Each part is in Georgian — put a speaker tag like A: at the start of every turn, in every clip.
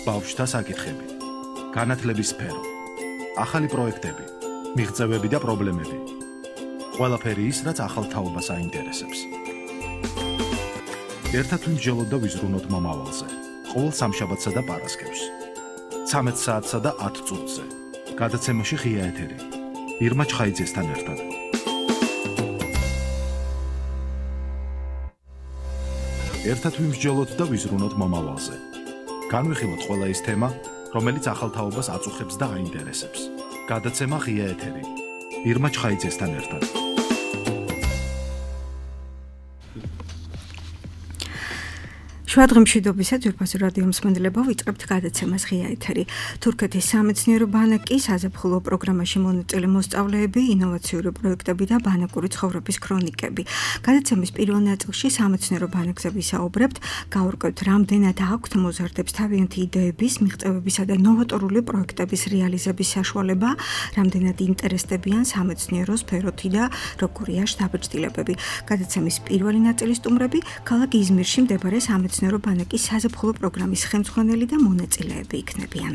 A: ბავშვთა საკითხები, განათლების სფერო, ახალი პროექტები, მიღწევები და პრობლემები. ყველაფერი ის, რაც ახალ თაობას აინტერესებს. ერთად ვიმსჯელოთ და ვიზრუნოთ მომავალზე. ყოველ სამშაბათსა და პარასკევს. 13 საათსა და 10 წუთზე. გადაცემაში ღია ეთერი. ირმა ჩხაიძესთან ერთად. ერთად ვიმსჯელოთ და ვიზრუნოთ მომავალზე. განვიხილოთ ყველა ის თემა, რომელიც ახალ თაობას აწუხებს და აინტერესებს. გადაცემა ღია ეთერი. ირმა ჩხაიძესთან ერთად.
B: შუადღემშვიდობისა ძვირფასი რადიო მსმენელებო, ვიწყებთ გადაცემას ღია ეთერი. თურქეთის სამეცნიერო ბანკის საზაფხულო პროგრამაში მონაწილე მოსწავლეები, ინოვაციური პროექტები და ბანაკური ცხოვრების ქრონიკები. გადაცემის პირველ ნაწილში სამეცნიერო ბანკზე ვისაუბრებთ, გავურკვევთ რამდენად აქვთ მოზარდებს თავიანთი იდეების, მიღწევებისა და ნოვატორული პროექტების რეალიზების საშუალება, რამდენად ინტერესდებიან სამეცნიერო სფეროთი და როგორია შთაბეჭდილებები. გადაცემის პირველი ნაწილის სტუმრები ქალაქ იზმირში მდებარე სამეცნიერო ბანკის საზაფხულო პროგრამის ხელმძღვანელი და მონაწილეები იქნებიან.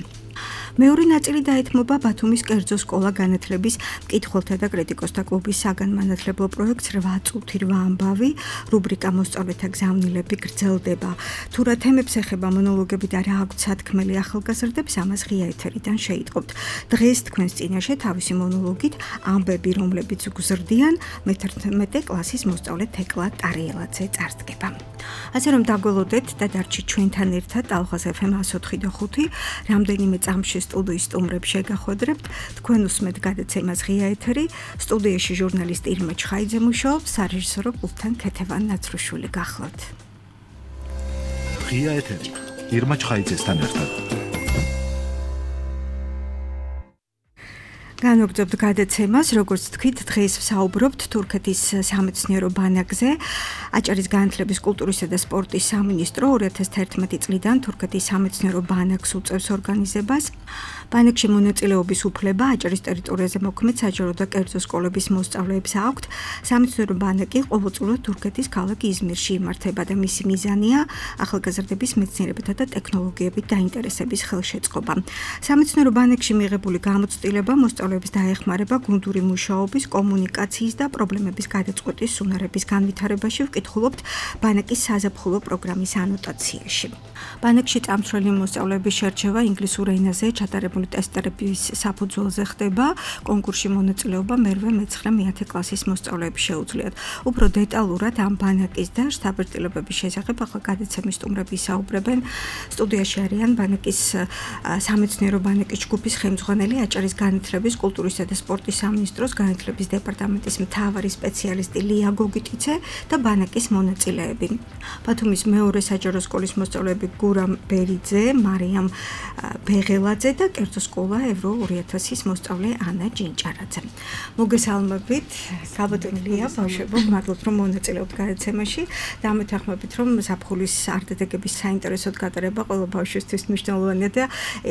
B: მეორე ნაწილი დაეთმობა ბათუმის კერძო სკოლა განათლების მკითხველთა და კრიტიკოსთა კლუბის საგანმანათლებლო პროექტს 8 წუთი 8 ამბავი, რუბრიკა მოსწავლეთა გზავნილები გრძელდება. თუ რა თემებს ეხება მონოლოგები და რა აქვთ სათქმელი ახალგაზრდებს, ამას ღია ეთერიდან შეიტყობთ. დღეს თქვენს წინაშე თავისი მონოლოგით ამბები, რომლებიც გზრდიან, მე-11 კლასის მოსწავლე თეკლა ტარიელაძე წარსდგება. ასე რომ დაგველოდეთ და დარჩით ჩვენთან ერთად ალღაზ FM 104.5 რამდენიმე წამში სტუდიის სტუმრებს შეგახვედრებთ. თქვენ უსმენთ გადაცემას ღია ეთერი. სტუდიაში ჟურნალისტი ირმა ჩხაიძე მუშაობს, სარეჟისორო პულტთან ქეთევან ნაცრუშვილი გახლავთ.
A: ღია ეთერი. ირმა ჩხაიძესთან ერთად.
B: განვაგრძობთ გადაცემას, როგორც თქვით, დღეს ვსაუბრობთ თურქეთის სამეცნიერო ბანკზე. აჭარის განათლების, კულტურისა და სპორტის სამინისტრო 2011 წლიდან თურქეთის სამეცნიერო ბანკს უწევს ორგანიზებას. ბანკში მონაწილეობის უფლება აჭარის ტერიტორიაზე მოქმედ საჯარო და კერძო სკოლების მოსწავლეებს აქვთ. სამეცნიერო ბანკი ყოველწლიურად თურქეთის ქალაქ იზმირში იმართება და მისი მიზანია ახალგაზრდების მეცნიერებათა და ტექნოლოგიებით დაინტერესების ხელშეწყობა. სამეცნიერო ბანკში მიღებული გამოცდილება მოსწავლეებს დაეხმარება გუნდური მუშაობის, კომუნიკაციის და პრობლემების გადაწყვეტის უნარების განვითარებაში. ვკითხულობთ ბანკის საზაფხულო პროგრამის ანოტაციაში. ბანკში წამსვლელი მოსწავლეების შერჩევა ინგლისურ ენაზე ჩატარებული ტესტების საფუძველზე ხდება. კონკურსში მონაწილეობა მერვე, მეცხრე, მეათე კლასის მოსწავლეებს შეუძლიათ. უფრო დეტალურად ამ ბანკის და შთაბეჭდილებების შესახებ ახლა გადაცემის სტუმრები ისაუბრებენ. სტუდიაში არიან ბანკის სამეცნიერო ბანკის ჯგუფის ხელმძღვანელი, აჭარის განათლების, კულტურისა და სპორტის სამინისტროს განათლების დეპარტამენტის მთავარი სპეციალისტი ლია გოგიტიცე და ბანკის მონაწილეები. ბათუმის მეორე საჯარო სკოლის მოსწავლეები გურამ ბერიძე, მარიამ ბეღელაძე და კერძო სკოლა ევრო 2000-ის მოსწავლე ანა ჯინჭარაძე. მოგესალმებით, გაბატონილია ბავშვებო, მადლობთ რომ მონაწილეობთ გადაცემაში და ამეთანხმებით რომ ზაფხულის არდადეგების საინტერესოდ გატარება ყველა ბავშვისთვის მნიშვნელოვანია და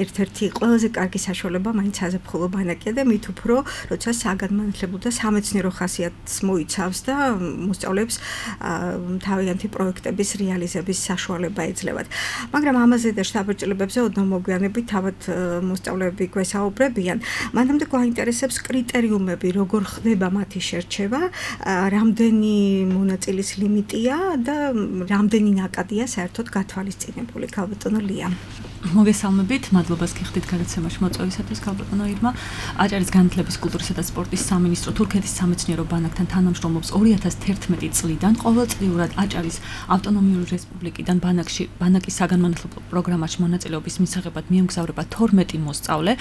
B: ერთ-ერთი ყველაზე კარგი საშუალება მაინც საზაფხულო ბანკია და მით უფრო როცა საგანმანათლებლო და სამეცნიერო ხასიათს მოიცავს და მოსწავლეებს თავიანთი პროექტების რეალიზების საშუალება ეძლევათ. მაგრამ ამაზე და შთაბეჭდილებებზე ოდნავ მოგვიანებით თავად მოსწავლეები გვესაუბრებიან. მანამდე გვაინტერესებს კრიტერიუმები, როგორ ხდება მათი შერჩევა, რამდენი მონაწილის ლიმიტია და რამდენი ნაკადია საერთოდ გათვალისწინებული. გალბატონო ლია.
C: მოგესალმებით, მადლობას გიხდით გადაცემაში მოწვევისათვის, გალბატონო ირმა. აჭარის განათლების, კულტურისა და სპორტის სამინისტრო თურქეთის სამეცნიერო ბანკთან თანამშრომლობს 2011 წლიდან. ყოველწლიურად აჭარის ავტონომიური რესპუბლიკიდან ბანკის საგანმანათლებლო პროგრამაში მონაწილეობის მისაღებად მიემგზავრება 12 მოსწავლე.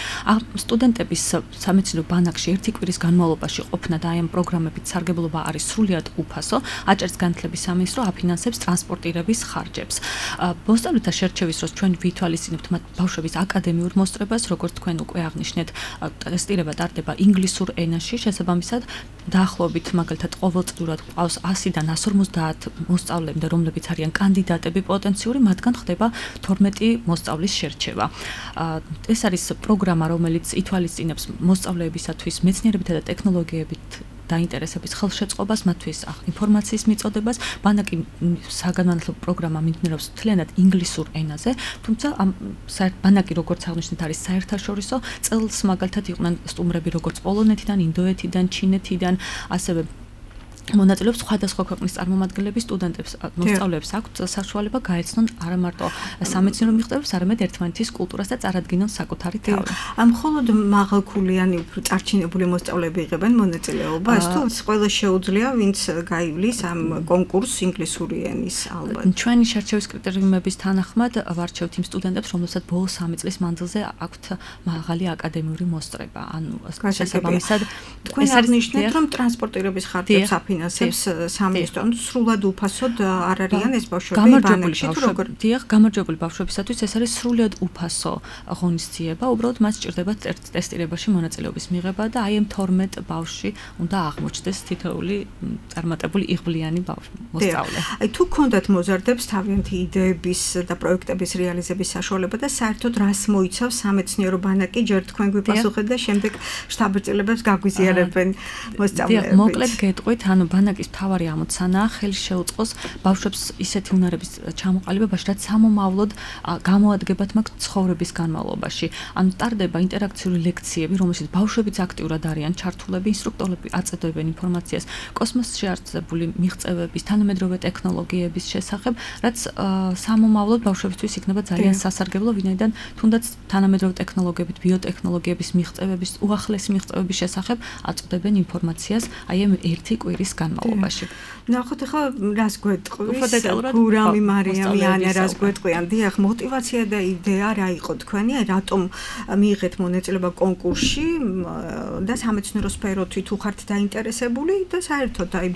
C: სტუდენტების სამეცნიერო ბანკში ერთი კვირის განმავლობაში ყოფნა და ამ პროგრამებით სარგებლობა არის სრულიად უფასო. აჭარის განათლების სამინისტრო აფინანსებს ტრანსპორტირების ხარჯებს. მოსწავლეთა შერჩევის დროს ჩვენ ვითვალისწინებთ მათ ბავშვების აკადემიურ მოსწრებას, როგორც თქვენ უკვე აღნიშნეთ, ტესტირება ტარდება ინგლისურ ენაში, შესაბამისად დაახლოებით მაგალითად ყოველწლიურად ყავს 100-დან 150 მოსწავლემდე, რომლებიც არიან კანდიდატები პოტენციური, მათგან ხდება 12 მოსწავლის შერჩევა. ეს არის პროგრამა, რომელიც ითვალისწინებს მოსწავლეებისათვის მეცნიერებითა და ტექნოლოგიებით დაინტერესების ხელშეწყობას, მათთვის ინფორმაციის მიწოდებას. ბანაკი საგანმანათლებლო პროგრამა მიმდინარეობს მთლიანად ინგლისურ ენაზე, თუმცა ამ ბანაკი როგორც აღნიშნეთ არის საერთაშორისო, წელს მაგალითად იყვნენ სტუმრები როგორც პოლონეთიდან, ინდოეთიდან, ჩინეთიდან, ასევე მონაწილეობს სხვადასხვა ქვეყნის წარმომადგენლები სტუდენტებს, მოსწავლეებს აქვთ საშუალება გაეცნონ არა მარტო სამეცნიერო მიღწევებს, არამედ ერთმანეთის კულტურას და წარადგინონ საკუთარი თავი.
B: მხოლოდ მაღალქულიანი, უფრო წარჩინებული მოსწავლეები იღებენ მონაწილეობას, თუ ყველა შეუძლია, ვინც გაივლის ამ კონკურსს ინგლისური ენის ალბათ.
C: ჩვენი შერჩევის კრიტერიუმების თანახმად ვარჩევთ იმ სტუდენტებს, რომელსაც ბოლო 3 წლის მანძილზე აქვთ მაღალი აკადემიური მოსწრება. ანუ შესაბამისად,
B: თქვენ აღნიშნეთ, რომ ტრანსპორტირების ხარჯებს ასებს სამინისტრო, ანუ სრულად უფასოდ არ არიან ეს ბავშვები ბანაკში თუ როგორ?
C: დიახ, გამარჯვებული ბავშვებისათვის ეს არის სრულად უფასო ღონისძიება, უბრალოდ მას სჭირდებათ ტესტირებაში მონაწილეობის მიღება და აი ამ 12 ბავშვი უნდა აღმოჩნდეს თითოეული წარმატებული იღბლიანი მოსწავლე.
B: აი თუ გქონდათ მოზარდებს თავიანთი იდეების და პროექტების რეალიზების საშუალება და საერთოდ რას მოიცავს სამეცნიერო ბანაკი, ჯერ თქვენ გვიპასუხეთ და შემდეგ შტაბ-წერილებს გაგვიზიარებენ მოსწავლეები.
C: მოკლედ გეტყვით, ანუ ბანაკის მთავარი ამოცანაა ხელი შეუწყოს ბავშვებს ისეთი უნარების ჩამოყალიბებაში, რაც სამომავლოდ გამოადგებათ მაგ ცხოვრების განმავლობაში. ანუ ტარდება ინტერაქციული ლექციები, რომელშიც ბავშვებიც აქტიურად არიან ჩართულები, ინსტრუქტორები აწედოებენ ინფორმაციას კოსმოსში არსებული მიღწევების, თანამედროვე ტექნოლოგიების შესახებ, რაც სამომავლოდ ბავშვებისთვის იქნება ძალიან სასარგებლო, ვინაიდან თუნდაც თანამედროვე ტექნოლოგიებით, ბიოტექნოლოგიების მიღწევების, უახლესი მიღწევების შესახებ აწვდებენ ინფორმაციას აი ამ ერთი კვირის განმავლობაში.
B: ნახოთ ახლა რას გვეტყვის გურამი მარიამი ანა რას გვეტყვიან? დიახ, мотиваცია და იდეა რა იყო თქვენი? აი რატომ მიიღეთ მონაწილეობა კონკურსში და სამეცნიერო სფეროთი თუ ხართ დაინტერესებული და საერთოდ აი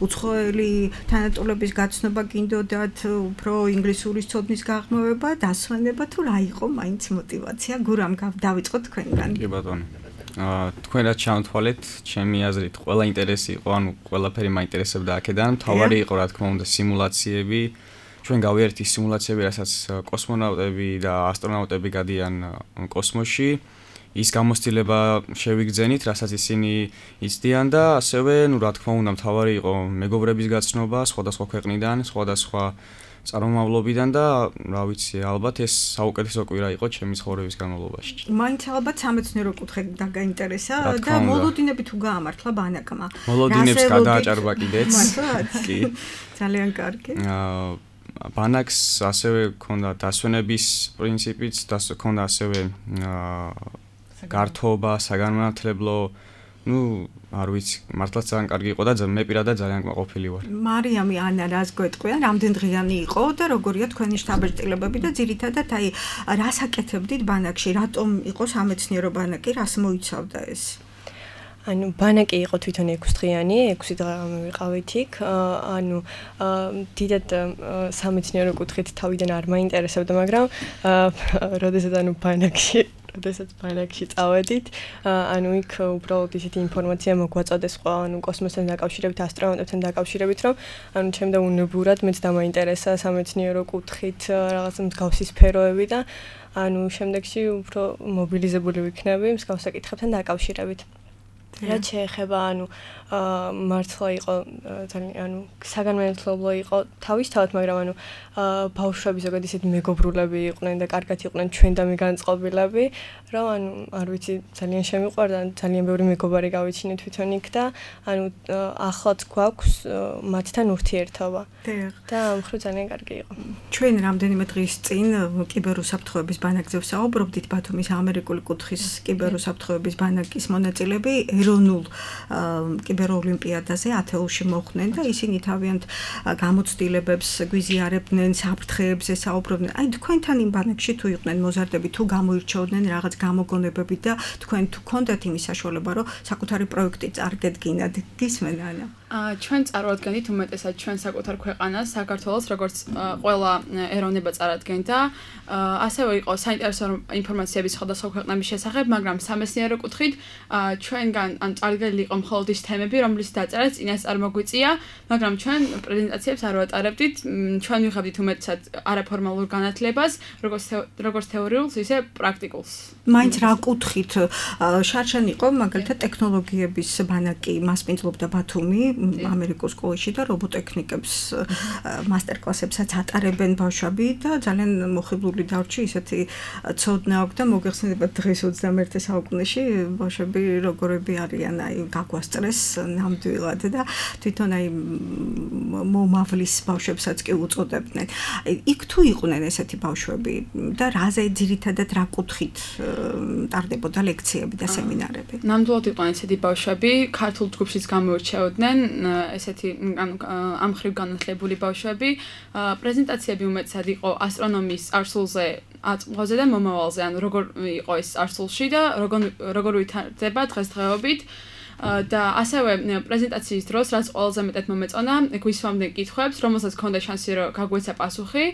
B: უცხოელი თანატოლების გაცნობა გინდოდათ, უფრო ინგლისურის ცოდნის გაღრმავება, დასვენება თუ რა იყო მაინც мотиваცია? გურამ დავიწყოთ თქვენგან.
D: კი ბატონო. თქვენ რაც ჩამოთვალეთ, ჩემი აზრით, ყველა ინტერესი იყო, ანუ ყველაფერი მაინტერესებდა აქედან. თავარი იყო, რა თქმა უნდა, სიმულაციები. ჩვენ გავიერთეთ სიმულაციები, რასაც კოსმონავტები და ასტრონავტები გადიან კოსმოსში. ის გამოცდილება შევიგრძენით, რასაც ისინი იცდიან და ასევე, ну, რა თქმა უნდა, თავარი იყო მეგობრების გაცნობა სხვადასხვა ქვეყნიდან, სხვადასხვა წარმომავლობიდან და რა ვიცი, ალბათ ეს საუკეთესო კვირა იყო ჩემი ცხოვრების განმავლობაში.
B: მაინც ალბათ სამეცნიერო კუთხე დაგაინტერესა და მოლოდინები თუ გაამართლა ბანაკმა.
D: მოლოდინებს გადააჭარბა კიდეც.
B: კი. ძალიან კარგი.
D: ბანაკს ასევე ჰქონდა დასვენების პრინციპიც, ჰქონდა ასევე გართობა, საგანმანათლებლო, ну, არ ვიცი, მართლაც ძალიან კარგი იყო და მე პირადად ძალიან კმაყოფილი ვარ.
B: მარიამი ანა რას გვეტყვიან? რამდენ დღიანი იყო და როგორია თქვენი შტაბ-წერილები და ძირითადად აი რას აკეთებდით ბანაკში? რატომ იყო სამეცნიერო ბანაკი, რას მოიცავდა ეს?
E: ანუ ბანაკი იყო თვითონ 6 დღიანი, 6 დღე ვიყავით იქ. ანუ დიდად სამეცნიერო კუთხით თავიდან არ მაინტერესებდა, მაგრამ როდესაც ბანაკში წავედით, ანუ იქ უბრალოდ ისეთი ინფორმაცია მოგვაწოდეს სხვა, ანუ კოსმოსთან დაკავშირებით, ასტრონავტებთან დაკავშირებით, რომ ანუ ჩემდა უნებურად მეც დამაინტერესა სამეცნიერო კუთხით რაღაც მსგავსი სფეროები და ანუ შემდეგში უფრო მობილიზებული ვიქნები მსგავს საკითხებთან დაკავშირებით. რაც შეეხება ანუ მართლა იყო ძალიან ანუ საგანმანათლებლო იყო თავისთავად, მაგრამ ანუ ბავშვები ზოგადად ისეთი მეგობრულები იყვნენ და კარგად იყვნენ ჩვენ და მიგანწყობილები, რომ ანუ არ ვიცი ძალიან შემიყვარდა, ძალიან ბევრი მეგობარი გავიჩინე თვითონ იქ და ანუ ახლაც გვაქვს მათთან ურთიერთობა. და ამ მხრივ ძალიან კარგი იყო.
B: ჩვენ რამდენიმე დღის წინ კიბერუსაფრთხოების ბანაკზე ვსაუბრობდით, ბათუმის ამერიკული კუთხის კიბერუსაფრთხოების ბანაკის მონაწილეები ეროვნულ კიბეროლიმპიადაზე ათეულში მოხვდნენ და ისინი თავიანთ გამოცდილებებს გვიზიარებდნენ, საფრთხეებზე საუბრობდნენ. აი თქვენთან იმ ბანაკში თუ იყვნენ მოზარდები, თუ გამოირჩეოდნენ რაღაც გამოგონებები და თქვენ თუ გქონდათ იმის საშუალება, რომ საკუთარი პროექტი წარგედგინათ, გისმენ ანა?
F: ჩვენ წარვადგენთ უმეტესად ჩვენ საკუთარ ქვეყანას, საქართველოს, როგორც ყველა ეროვნება წარადგენდა. ასევე იყო საინტერესო ინფორმაციები სხვადასხვა ქვეყნების შესახებ, მაგრამ სამეცნიერო კუთხით ჩვენგან ან წარდგენილი იყო მხოლოდ ის თემები, რომლის დაწერაც წინასწარ მოგვიწია, მაგრამ ჩვენ პრეზენტაციებს არ ვატარებდით. ჩვენ ვიღებდით უმეტესად არაფორმალურ განათლებას, როგორც თეორიულს, ისე პრაქტიკულს.
B: მაინც რა კუთხით შარშან იყო მაგალითად ტექნოლოგიების ბანაკი მასპინძლობდა ბათუმი ამერიკულ სკოლაში და რობოტექნიკებს მასტერკლასებსაც ატარებენ ბავშვები და ძალიან მოხიბლული დარჩი ისეთი ცოდნა აქვს და მოგეხსენებათ დღეს 21 საუკუნეში ბავშვები როგორები არიან აი გაგვასწრეს ნამდვილად და თვითონ აი მომავლის ბავშვებსაც კი უწოდებდნენ. იქ თუ იყვნენ ესეთი ბავშვები და რაზე ძირითადად რა კუთხით ტარდებოდა ლექციები და სემინარები?
F: ნამდვილად იყვნენ ესეთი ბავშვები, ქართულ ჯგუფშიც გამოირჩეოდნენ ესეთი ამ ხრივ განათლებული ბავშვები. პრეზენტაციები უმეტესად იყო ასტრონომიის წარსულზე, აწმყოზე და მომავალზე, ანუ როგორ იყო ეს წარსულში და როგორ ვითარდება დღესდღეობით. და ასევე პრეზენტაციის დროს რაც ყველაზე მეტად მომეწონა, გვისვამდნენ კითხვებს, რომელსაც ჰქონდა შანსი რომ გაგვეცა პასუხი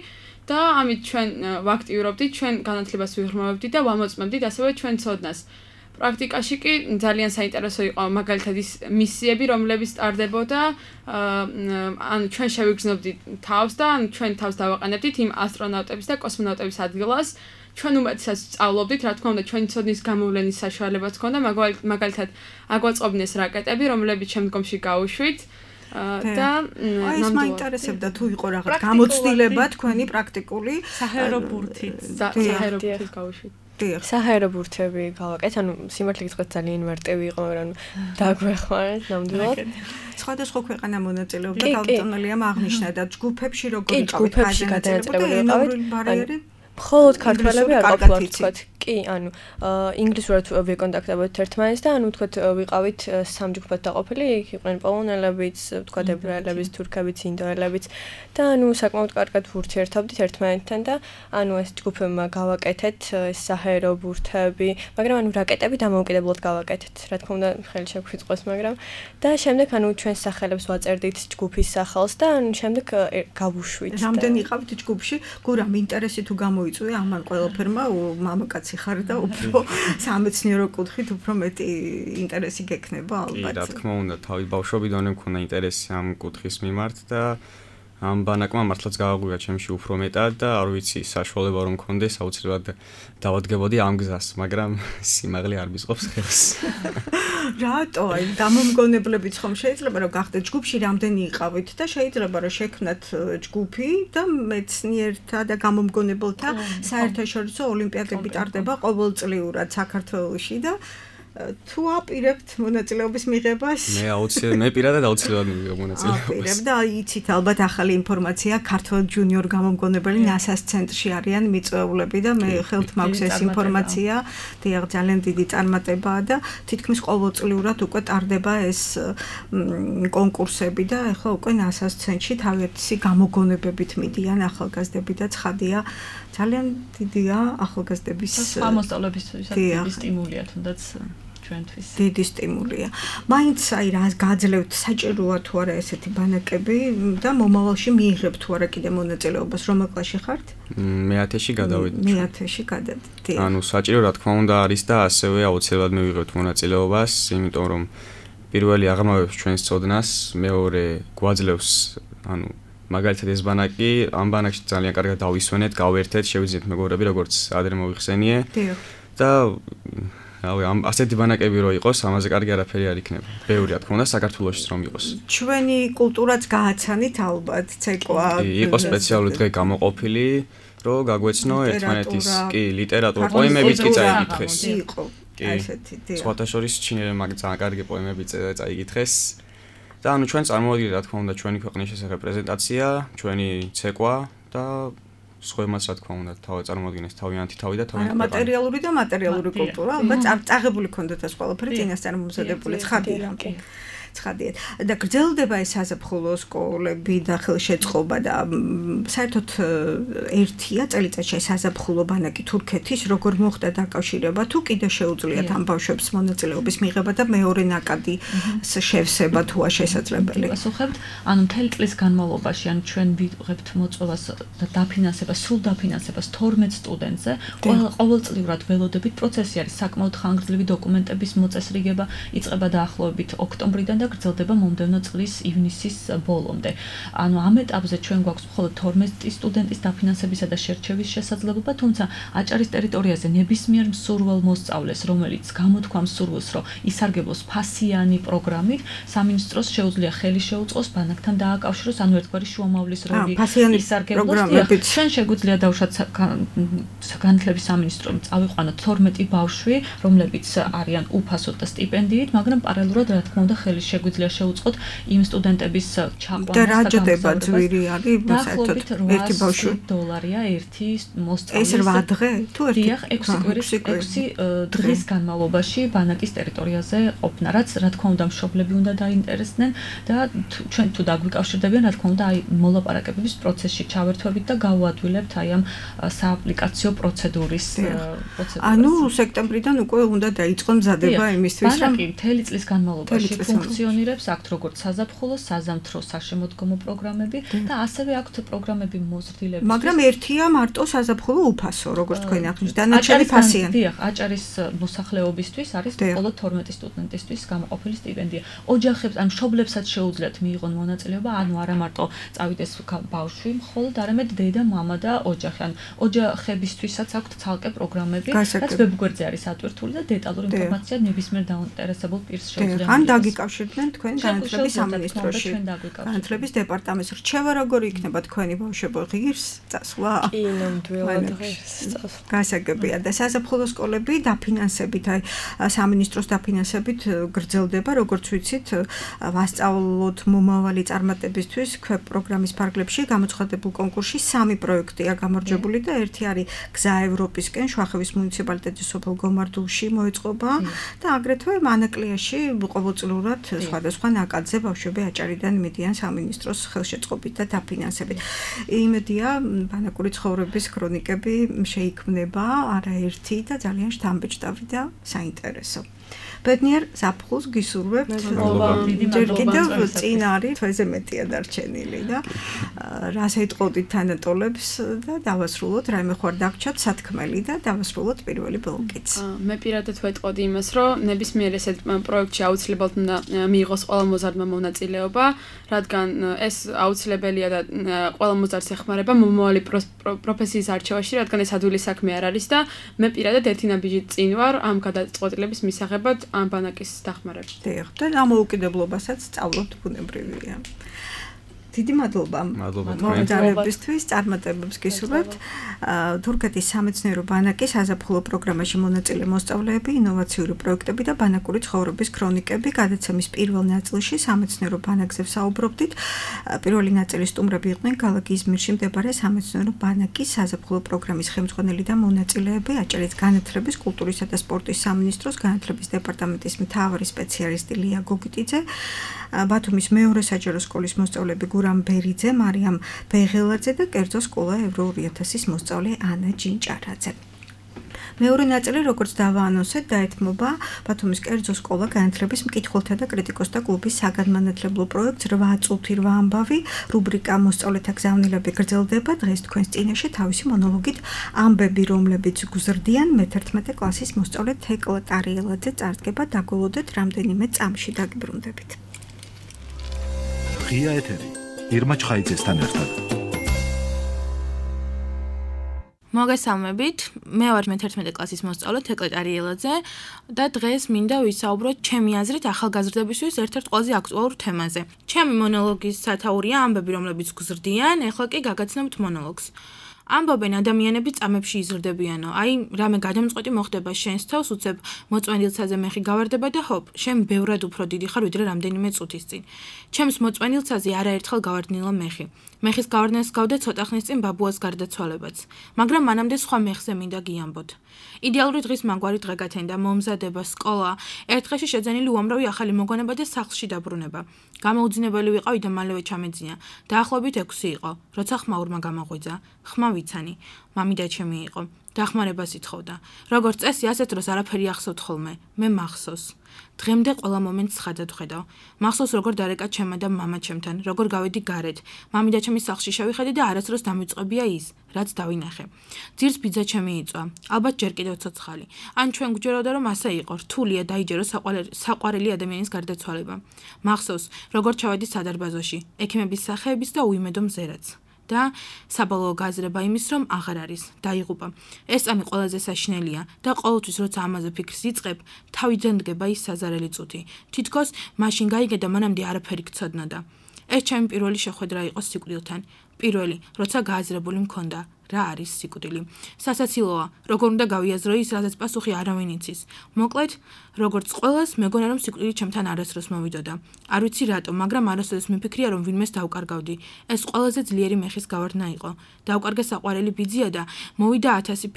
F: და ამით ჩვენ ვაქტიურობდით, ჩვენ განათლებას ვიღრმავებდით და ვამოწმებდით ასევე ჩვენ ცოდნას. პრაქტიკაში კი ძალიან საინტერესო იყო მაგალითად ის მისიები, რომლებიც ტარდებოდა, ანუ ჩვენ შევიგრძნობდით თავს და ჩვენ თავს დავაყენებდით იმ ასტრონავტების და კოსმონავტების ადგილას. ჩვენ უმეტესად სწავლობდით, რა თქმა უნდა, ჩვენი ცოდნის გამოვლენის საშუალებაც ჰქონდა, მაგალითად აგვაწყობდნენ რაკეტები, რომლებიც შემდგომში გაუშვით. და
B: ეს მაინტერესებდა თუ იყო რაღაც გამოცდილება თქვენი პრაქტიკული
C: საჰაერო ბურთით
F: გაუშვით.
E: საჰაერო ბურთები გავაკეთ, ანუ სიმართლე გითხრათ ძალიან მარტივი იყო, მაგრამ დაგვეხმარეთ ნამდვილად.
B: სხვადასხვა ქვეყანა მონაწილეობდა, გაუწონელია აღნიშნა და ჯგუფებში როგორ
E: იყო ჯგუფებში გადაეწერილი
B: ბარიერი?
E: მხოლოდ ქართველები არ ყოფილიყო თქვათ. კი, ანუ ინგლისურად ვიკონტაქტებოდით ერთმანეთს და ანუ თქვათ ვიყავით სამ ჯგუფად დაყოფილი, იქ იყვნენ პოლონელებიც, თქვათ ებრაელებიც, თურქებიც, ინდოელებიც და ანუ საკმაოდ კარგად ვურთიერთობდით ერთმანეთთან და ანუ ეს ჯგუფებმა გავაკეთეთ ეს საჰაერო ბურთები, მაგრამ ანუ რაკეტები დამოუკიდებლად გავაკეთეთ. რა თქმა უნდა, ხელი შეგვიწყოს, მაგრამ და შემდეგ ანუ ჩვენს სახელებს ვაწერდით ჯგუფის სახელს და ანუ შემდეგ გავუშვით.
B: რამდენი იყავით ჯგუფში? გურამ ინტერესი თუ გამოიწვია ამან ყველაფერმა მამაკაცი ხარ და უფრო სამეცნიერო კუთხით უფრო მეტი ინტერესი გექნება ალბათ.
D: კი, რა თქმა უნდა, თავი ბავშვობიდანვე მქონდა ინტერესი ამ კუთხის მიმართ და ამ ბანაკმა მართლაც გააღვია ჩემში უფრო მეტად და არ ვიცი საშუალება რომ მქონდეს აუცილებლად დავადგებოდი ამ გზას, მაგრამ სიმაღლე არ მისყობს ხელს.
B: რატო? აი გამომგონებლებიც ხომ შეიძლება რომ გახდეთ ჯგუფში რამდენი იყავით და შეიძლება რომ შექმნათ ჯგუფი და მეცნიერთა და გამომგონებელთა საერთაშორისო ოლიმპიადები ტარდება ყოველწლიურად საქართველოში და თუ აპირებთ მონაწილეობის მიღებას?
D: მე პირადად აუცილებლად მივიღებ მონაწილეობას.
B: აპირებ და იცით ალბათ ახალი ინფორმაცია, ქართულ ჯუნიორ გამომგონებელი NASA-ს ცენტრში არიან მიწვეულები და მე ხელთ მაქვს ეს ინფორმაცია. დიახ, ძალიან დიდი წარმატებაა და თითქმის ყოველწლიურად უკვე ტარდება ეს კონკურსები და ახლა უკვე NASA-ს ცენტრში თავისი გამოგონებებით მიდიან ახალგაზრდები და ცხადია, ძალიან დიდია ახალგაზრდების
C: მოსწავლებისთვის სტიმულია თუნდაც ჩვენთვის.
B: დიდი სტიმულია. მაინც აი რა გაძლევთ საჭიროა თუ არა ესეთი ბანაკები და მომავალში მიიღებთ თუ არა კიდე მონაწილეობას, რომელ კლასში ხართ?
D: მე-10-ში გადავედი.
B: მე-10-ში გადავედი.
D: ანუ საჭირო რა თქმა უნდა არის და ასევე აუცილებლად მივიღებთ მონაწილეობას, იმიტომ რომ პირველი აღრმავებს ჩვენს ცოდნას, მეორე გვაძლევს ანუ მაგალითად ეს ბანაკი, ამ ბანაკში ძალიან კარგად დავისვენეთ, გავერთეთ, შევიძინეთ მეგობრები, როგორც ადრე მოიხსენიე. და ამ ასეთი ბანაკები რო იყოს, ამაზე კარგი არაფერი არ იქნება. ბევრი რა თქმა უნდა საქართველოშიც რომ იყოს.
B: ჩვენი კულტურაც გააცანით ალბათ, ცეკვა.
D: იყო სპეციალური დღე გამოყოფილი, რომ გაგვეცნო ერთმანეთის კი ლიტერატურა, პოემებიც კი წაიკითხეს.
B: იყო ასეთი დიახ.
D: სხვათა შორის ჩინელებმა ძალიან კარგი პოემები წაიკითხეს. და ანუ ჩვენ წარმოვიდგინეთ რა თქმა უნდა ჩვენი ქვეყნის შესახებ პრეზენტაცია, ჩვენი ცეკვა და სხვაებმაც რა თქმა უნდა წარმოვიდგინეს თავიანთი თავი და თავიანთი
B: მატერიალური და მატერიალური კულტურა, ალბათ წაღებული ქონდათ ეს ყველაფერი წინასწარ მომზადებული ცხადია. ცხადიეთ. და გრძელდება ეს საზაფხულო სკოლები და ხელშეწყობა და საერთოდ ერთია წელიწადში საზაფხულო ბანაკი თურქეთის როგორ მოხდა დაკავშირება თუ კიდე შეუძლიათ ამ ბავშვებს მონაწილეობის მიღება და მეორე ნაკადი შევსება თუ შესაძლებელი.
C: ვასუხებთ, ანუ მთელი წლის განმავლობაში ან ჩვენ ვიღებთ მოწვევას და დაფინანსებას, სრულ დაფინანსებას 12 სტუდენტზე, ყოველწლიურად ველოდებით პროცესი არის საკმაოდ ხანგრძლივი დოკუმენტების მოწესრიგება, იწყება დაახლოებით ოქტომბრიდან და გრძელდება მომდევნო წლის ივნისის ბოლომდე. ანუ ამ ეტაპზე ჩვენ გვაქვს მხოლოდ 12 სტუდენტის დაფინანსებისა და შერჩევის შესაძლებლობა, თუმცა აჭარის ტერიტორიაზე ნებისმიერ მსურველ მოსწავლეს, რომელიც გამოთქვამს სურვილს, რომ ისარგებლოს ფასიანი პროგრამით, სამინისტროს შეუძლია ხელი შეუწყოს ბანაკთან დააკავშიროს, ანუ ერთგვარი შუამავლის როლი ისარგებლოს. ჩვენ შეგვიძლია დავუშვათ განათლების სამინისტრომ წავიყვანოთ 12 ბავშვი, რომლებიც არიან უფასოდ და სტიპენდიით, მაგრამ პარალელურად რა თქმა უნდა ხელი შეგვიძლია შეუწყოთ იმ სტუდენტების ჩაყვანას და
B: რაჯდება ძვირი არის საერთოდ ერთი ბავშვი
C: $1 ერთი მოსწავლეს.
B: ეს 8 დღე თუ ერთი
C: 6 დღის განმავლობაში ბანაკის ტერიტორიაზე ყოფნა, რაც რა თქმა უნდა მშობლები უნდა დაინტერესდნენ და ჩვენ თუ დაგვიკავშირდებიან, რა თქმა უნდა აი მოლაპარაკებების პროცესში ჩავერთვებით და გავუადვილებთ აი ამ სააპლიკაციო პროცედურის
B: ანუ სექტემბრიდან უკვე უნდა დაიწყოს მზადება იმისთვის, რომ
C: ბანაკი მთელი წლის განმავლობაში ფუნქციონირებს აქ როგორც საზაფხულო, საზამთრო საშემოდგომო პროგრამები და ასევე აქვთ პროგრამები მოზრდილების.
B: მაგრამ ერთია მარტო საზაფხულო უფასო, როგორც თქვენ აღნიშნეთ, დანარჩენი ფასიანი.
C: დიახ, აჭარის მოსახლეობისთვის არის მხოლოდ 12 სტუდენტისთვის გამოყოფილი სტიპენდია. ოჯახებს, ან მშობლებსაც შეუძლიათ მიიღონ მონაწილეობა, ანუ არა მარტო წავიდეს ბავშვი, მხოლოდ არამედ დედა, მამა და ოჯახი. ან ოჯახებისთვისაც აქვთ ცალკე პროგრამები, რაც ვებგვერდზე არის ატვირთული და დეტალური ინფორმაცია ნებისმიერ დაინტერესებულ პირს შეუძლია.
B: ან დაგიკავშირდნენ თქვენ განათლების სამინისტროში. განათლების დეპარტამენტს რჩევა როგორი იქნება თქვენი ბავშვებო ღირს წასვლა?
E: კი, ნამდვილად ღირს წასვლა.
B: გასაგებია და საზაფხულო სკოლები დაფინანსებით, აი სამინისტროს დაფინანსებით გრძელდება, როგორც ვიცით, ვასწავლოთ მომავალი წარმატებისთვის ქვე პროგრამის ფარგლებში გამოცხადებულ კონკურსში 3 პროექტია გამარჯვებული და ერთი არის გზა ევროპისკენ, შუახევის მუნიციპალიტეტის სოფელ გომარდულში მოეწყობა და აგრეთვე მანაკლიაში ყოველწლიურად სხვადასხვა ნაკადზე ბავშვები აჭარიდან მიდიან სამინისტროს ხელშეწყობით და დაფინანსებით. იმედია, ბანაკური ცხოვრების ქრონიკები შეიქმნება არაერთი და ძალიან შთამბეჭდავი და საინტერესო. ბედნიერ ზაფხულს გისურვებთ. ჯერ კიდევ წინ არის თვეზე მეტია დარჩენილი და რას ეტყოდით თანატოლებს და დავასრულოთ რაიმე ხوار დაგჭათ სათქმელი და დავასრულოთ პირველი ბლოკიც.
F: მე პირადად ვეტყოდი იმას, რომ ნებისმიერ ესეთ პროექტში აუცილებლად უნდა მიიღოს ყველა მოზარდმა მონაწილეობა, რადგან ეს აუცილებელია და ყველა მოზარდს ეხმარება მომავალი პროფესიის არჩევაში, რადგან ეს ადვილი საქმე არ არის და მე პირადად ერთი ნაბიჯი წინ ვარ ამ გადაწყვეტილების მისაღებად ამ ბანაკის დახმარებით.
B: დიახ, და ამოუკიდებლობასაც სწავლობთ ბუნებრივია. დიდი მადლობა მომძალებისთვის, წარმატებებს გისურვებთ. თურქეთის სამეცნიერო ბანაკის საზაფხულო პროგრამაში მონაწილე მოსწავლეები, ინოვაციური პროექტები და ბანაკური ცხოვრების ქრონიკები გადაცემის პირველ ნაწილში სამეცნიერო ბანაკზე ვსაუბრობდით. პირველი ნაწილის სტუმრები იყვნენ ქალაქ იზმირში მდებარე სამეცნიერო ბანაკის საზაფხულო პროგრამის ხელმძღვანელი და მონაწილეები, აჭარის განათლების, კულტურისა და სპორტის სამინისტროს განათლების დეპარტამენტის მთავარი სპეციალისტი ლია გოგიტიძე, ბათუმის მეორე საჯარო სკოლის მოსწავლეები გურამ ბერიძე, მარიამ ბეღელაძე და კერძო სკოლა ევრო 2000-ის მოსწავლე ანა ჯინჭარაძე. მეორე ნაწილი, როგორც დავაანონსეთ, დაეთმობა ბათუმის კერძო სკოლა განათლების მკითხველთა და კრიტიკოსთა კლუბის საგანმანათლებლო პროექტს 8 წუთი 8 ამბავი, რუბრიკა მოსწავლეთა გზავნილები გრძელდება. დღეს თქვენს წინაშე თავისი მონოლოგით ამბები, რომლებიც გუზრდიან მე-11 კლასის მოსწავლე თეკლა ტარიელაძე წარდგება, დაგველოდეთ რამდენიმე წამში დაგიბრუნდებით.
A: ღია ეთერი ირმა ჩხაიძესთან ერთად.
G: მოგესალმებით, მე ვარ მე-11 კლასის მოსწავლე თეკლა ტარიელაძე და დღეს მინდა ვისაუბროთ ჩემი აზრით ახალგაზრდებისთვის ერთ-ერთ ყველაზე აქტუალურ თემაზე. ჩემი მონოლოგის სათაურია ამბები, რომლებიც გზრდიან, ეხლა კი გაგაცნობთ მონოლოგს. ამბობენ ადამიანები წამებში იზრდებიანო, აი რამე გადამწყვეტი მოხდება შენს თავს, უცებ მოწვენილცაზე მეხი გავარდება და ჰოპ, შენ ბევრად უფრო დიდი ხარ ვიდრე რამდენიმე წუთის წინ. ჩემს მოწვენილცაზე არაერთხელ გავარდნილა მეხი. მეხის გავარდნას გავდა ცოტა ხნის წინ ბაბუას გარდაცვალებაც, მაგრამ მანამდე სხვა მეხზე მინდა გიამბოთ. იდეალური დღის მაგვარი დღე გათენდა, მომზადება, სკოლა, ერთ დღეში შეძენილი უამრავი ახალი მოგონება და სახლში დაბრუნება. გამოუძინებელი ვიყავი და მალევე ჩამეძინა. დაახლოებით 6 იყო, როცა ხმაურმა გამაღვიძა. ხმა ვიცანი, მამიდა ჩემი იყო. დახმარებას ითხოვდა. როგორც წესი, ასეთ დროს არაფერი ახსოვთ ხოლმე. მე მახსოვს. დღემდე ყველა მომენტს ხადად ვხედავ. მახსოვს როგორ დარეკა ჩემმა და მამა ჩემთან, როგორ გავედი გარეთ. მამიდა ჩემის სახლში შევიხედე და არასდროს დამიწყებია ის, რაც დავინახე. ძირს ბიძა ჩემი იწვა. ალბათ ჯერ კიდევ ცოცხალი. ან ჩვენ გვჯეროდა რომ ასე იყო, რთულია დაიჯერო საყვარელი ადამიანის გარდაცვალება. მახსოვს, როგორ ჩავედი სადარბაზოში, ექიმების სახეების და უიმედო მზერაც. და საბოლოო გაზრება იმის, რომ აღარ არის, დაიღუპა. ეს წამი ყველაზე საშინელია და ყოველთვის როცა ამაზე ფიქრს იწყებ, თავიდან დგება ის საზარელი წუთი. თითქოს მაშინ გაიგე და მანამდე არაფერი გცოდნოდა. ეს ჩემი პირველი შეხვედრა იყო სიკვდილთან. პირველი, როცა გააზრებული მქონდა, რა არის სიკვდილი. სასაცილოა, როგორ უნდა გავიაზრო ის, რაზეც პასუხი არავინ იცის. მოკლედ, როგორც ყველას, მეგონა რომ სიკვდილი ჩემთან არასდროს მოვიდოდა. არ ვიცი რატომ, მაგრამ არასდროს მიფიქრია რომ ვინმეს დავკარგავდი. ეს ყველაზე ძლიერი მეხის გავარდნა იყო. დავკარგე საყვარელი ბიძია და მოვიდა 1000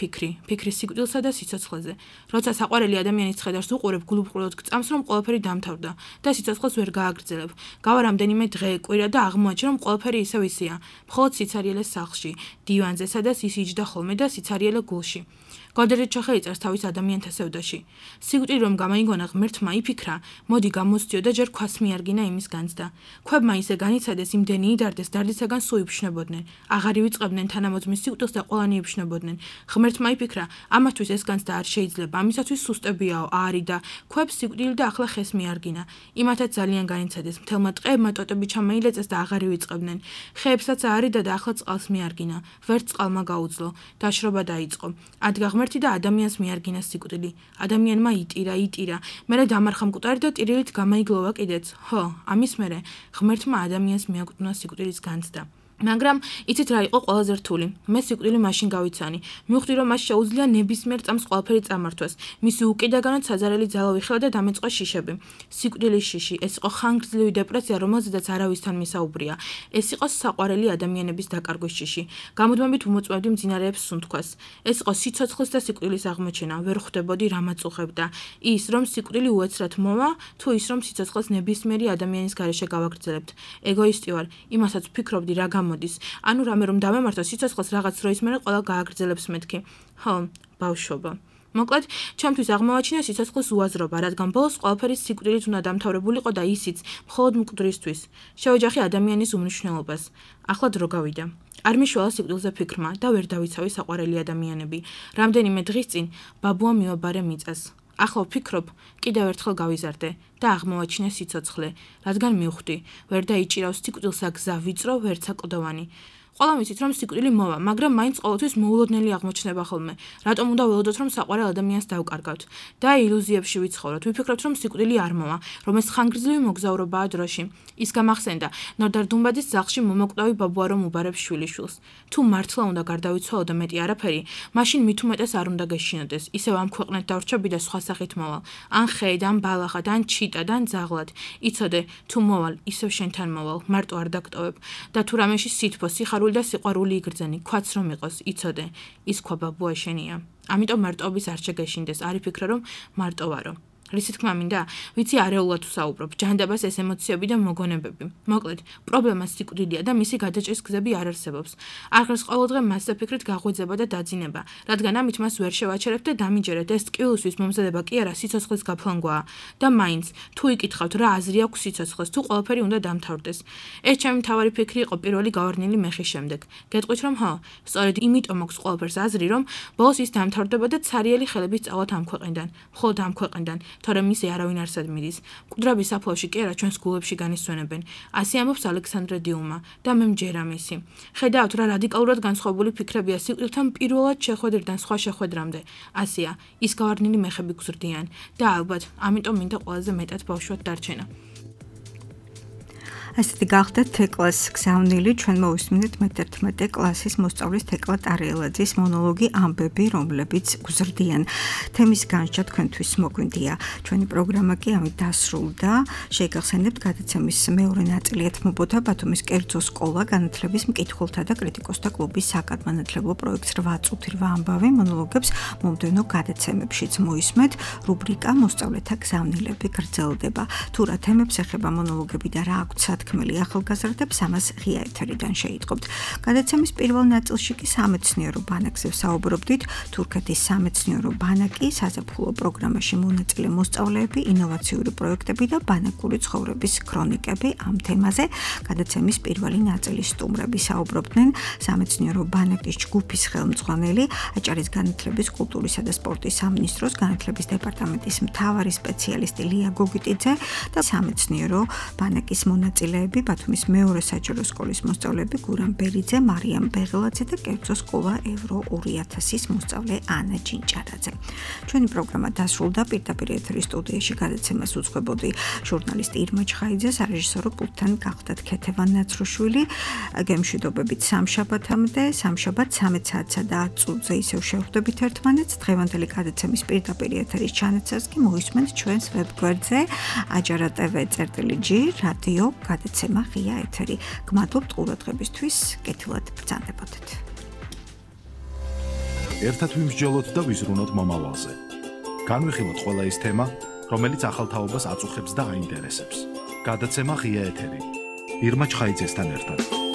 G: ფიქრი სიკვდილსა და სიცოცხლეზე. როცა საყვარელი ადამიანის ხედავს უყურებ, გულუბრყვილოდ გწამს რომ ყველაფერი დამთავრდა და სიცოცხლეს ვერ გააგრძელებ. გავა რამდენიმე დღე, კვირა და აღმოაჩენ რომ ყველაფერი ისევ ისეა. მხოლოდ სიცარიელეს სახლში, დივანზე, სადაც ის იჯდა ხოლმე და სიცარიელე გულში. გოდერით ჩახეიწერს თავის ადამიანთა სევდაში. სიკვდილი რომ გამაიგონა ღმერთმა იფიქრა, მოდი გამოსდიო და ჯერ ქვას მიარგინა იმის განცდა. ქვებმა ისე განიცადეს, იმდენი იდარდეს, დარდისაგან სულ იფშნებოდნენ. აღარ ივიწყებდნენ თანამოძმის სიკვდილს და ყველანი იფშნებოდნენ. ღმერთმა იფიქრა, ამათთვის ეს განცდა არ შეიძლება, ამისათვის სუსტებიაო, არი და ქვებს სიკვდილი და ახლა ხეს მიარგინა. იმათაც ძალიან განიცადეს, მთელმა ტყეებმა ტოტები ჩამეილეწეს და აღარ ივიწყებდნენ. ხეებსაც აარიდა და ახლა წყალს მიარგინა. ვერც წყალმა გაუძლო, დაშრობა დაიწყო. ადგა ღმერთი და ადამიანს მიარგინა სიკვდილი. ადამიანმა იტირა, მერე დამარხა მკვდარი და ტირილით გამაიგლოვა კიდეც. ხო, ამის მერე ღმერთმა ადამიანს მიაკუთვნა სიკვდილის განცდა. მაგრამ იცით რა იყო ყველაზე რთული? მე სიკვდილი მაშინ გავიცანი. მივხვდი რომ მას შეუძლია ნებისმიერ წამს ყველაფერი წამართვას. მისი უკიდაგანად საზარელი ძალა ვიხილა და დამეწყო შიშები. სიკვდილის შიში, ეს იყო ხანგრძლივი დეპრესია, რომელზედაც არავისთან მისაუბრია. ეს იყო საყვარელი ადამიანების დაკარგვის შიში. გამუდმებით უმოწმებდი მძინარეებს სუნთქვას. ეს იყო სიცოცხლის და სიკვდილის აღმოჩენა. ვერ ხვდებოდი რა მაწუხებდა. ის რომ სიკვდილი უეცრად მოვა, თუ ის რომ სიცოცხლეს ნებისმიერი ადამიანის გარეშე გავაგრძელებთ. ეგოისტი ვარ, იმასაც ვფიქრობდი რა მოდის. ანუ რამე რომ დავემართო სიცოცხლეს რაღაც დროის მერე ყველა გააგრძელებს მეთქი. ხო, ბავშვობა. მოკლედ, ჩემთვის აღმოვაჩინა სიცოცხლის უაზრობა, რადგან ბოლოს ყველაფერი სიკვდილით უნდა დამთავრებულიყო და ისიც მხოლოდ მკვდრისთვის. შევეჯახი ადამიანის უმნიშვნელობას. ახლა დრო გავიდა. არ მიშველა სიკვდილზე ფიქრმა და ვერ დავიცავი საყვარელი ადამიანები. რამდენიმე დღის წინ ბაბუა მივაბარე მიწას. ახლა ვფიქრობ, კიდევ ერთხელ გავიზარდე და აღმოვაჩინე სიცოცხლე, რადგან მივხვდი, ვერ დაიჭირავს სიკვდილსა გზა ვიწრო, ვერცა კლდოვანი. ყველამ იცით რომ სიკვდილი მოვა, მაგრამ მაინც ყოველთვის მოულოდნელი აღმოჩნდება ხოლმე. რატომ უნდა ველოდოთ რომ საყვარელ ადამიანს დავკარგავთ და ილუზიებში ვიცხოვროთ. ვიფიქრებთ რომ სიკვდილი არ მოვა, რომ ეს ხანგრძლივი მოგზაურობაა დროში. ის გამახსენდა, ნორდარ დუმბაძის სახლში მომოკვდავი ბაბუა რომ უბარებს შვილიშვილს. თუ მართლა უნდა გარდავიცვალო და მეტი არაფერი, მაშინ მით უმეტეს არ უნდა გეშინოდეს. ისევ ამ ქვეყნად დავრჩები და სხვა სახით მოვალ. ან ხედ, ან ბალახად, ან ჩიტად, ან ძაღლად. იცოდე, თუ მოვალ, ისევ შენთან მოვალ, მარტო არ დაგტოვებ და თუ რამეში სითბო, სიხარული და სიყვარული იგრძენი, ქვაც რომ იყოს, იცოდე, ის ქვა ბაბუა შენია. ამიტომ მარტოობის არ შეგეშინდეს, არ იფიქრე რომ მარტო ვარო. რისი თქმა მინდა? ვიცი არეულად ვსაუბრობ, ჯანდაბას ეს ემოციები და მოგონებები. მოკლედ, პრობლემა სიკვდილია და მისი გადაჭრის გზები არ არსებობს. აღარს ყოველდღე მასზე ფიქრით გაღვიძება და დაძინება, რადგან ამით მას ვერ შევაჩერებ და დამიჯერეთ, ეს ტკივილისთვის მომზადება კი არა, სიცოცხლის გაფლანგვაა. და მაინც, თუ იკითხავთ რა აზრი აქვს სიცოცხლეს, თუ ყველაფერი უნდა დამთავრდეს. ეს ჩემი მთავარი ფიქრი იყო პირველი გავარდნილი მეხის შემდეგ. გეტყვით რომ ხო, სწორედ იმიტომ მაქვს ყველაფერს აზრი, რომ ბოლოს ის დამთავრდება და ცარიელი ხელებით წავალთ ამ ქვეყნიდან, მხოლოდ ამ ქვეყნიდან. თორემ ისე არავინ არ სადმიდის. მკვდრების საფლავში კი არა ჩვენს გულებში განისვენებენ. ასე ამბობს ალექსანდრე დიუმა და მე მჯერა მისი. ხედავთ რა რადიკალურად განსხვავებული ფიქრებია სიკვდილთან პირველად შეხვედრიდან სხვა შეხვედრამდე. ასეა, ის გავარდნილი მეხები გზრდიან და ალბათ ამიტომ მინდა ყველაზე მეტად ბავშვად დარჩენა.
B: ასეთი გახდათ თეკლას გზავნილი, ჩვენ მოვისმინეთ მე-11 კლასის მოსწავლის თეკლა ტარიელაძის მონოლოგი ამბები, რომლებიც გუზრდიან. თემის განსჯა თქვენთვის მოგვინდია. ჩვენი პროგრამა კი ამით დასრულდა. შეგახსენებთ გადაცემის მეორე ნაწილი ეთმობოდა ბათუმის კერძო სკოლა განათლების მკითხველთა და კრიტიკოსთა კლუბის საკადმანათლებლო პროექტს 8 წუთი 8 ამბავი მონოლოგებს მომდევნო გადაცემებშიც მოისმეთ. რუბრიკა მოსწავლეთა გზავნილები გრძელდება. თუ რა თემებს ეხება მონოლოგები და რა აქვთ სათქმელი ახალგაზრდებს, ამას ღია ეთერიდან შეიტყობთ. გადაცემის პირველ ნაწილში კი სამეცნიერო ბანაკზე ვსაუბრობდით. თურქეთის სამეცნიერო ბანაკი, საზაფხულო პროგრამაში მონაწილე მოსწავლეები, ინოვაციური პროექტები და ბანაკური ცხოვრების ქრონიკები ამ თემაზე. გადაცემის პირველი ნაწილის სტუმრები საუბრობდნენ სამეცნიერო ბანაკის ჯგუფის ხელმძღვანელი, აჭარის განათლების, კულტურისა და სპორტის სამინისტროს განათლების დეპარტამენტის მთავარი სპეციალისტი ლია გოგიტიძე და სამეცნიერო ბანაკის მონაწილეები, ბათუმის მეორე საჯარო სკოლის მოსწავლეები გურამ ბერიძე, მარიამ ბეღელაძე და კერძო სკოლა ევრო 2000-ის მოსწავლე ანა ჯინჭარაძე. ჩვენი პროგრამა დასრულდა. პირდაპირ ეთერის სტუდიაში გადაცემას უძღვებოდი ჟურნალისტი ირმა ჩხაიძე, სარეჟისორო პულტთან გახდათ ქეთევან ნაცრუშვილი. გემშვიდობებით სამშაბათამდე, სამშაბათ 13 საათსა და 10 წუთზე ისევ შევხვდებით ერთმანეთს. დღევანდელი გადაცემის პირდაპირ ეთერის ჩანაცვლას კი მოისმენთ ჩვენს ვებგვერდზე ajara.tv/g რადიო გადაცემა ღია ეთერი. გმადლობთ ყურადღებისთვის, კეთილად ბრძანდებოდეთ.
A: ერთად ვიმსჯელოთ და ვიზრუნოთ მომავალზე. განვიხილოთ ყველა ის თემა, რომელიც ახალ თაობას აწუხებს და აინტერესებს. გადაცემა ღია ეთერი. ირმა ჩხაიძესთან ერთად.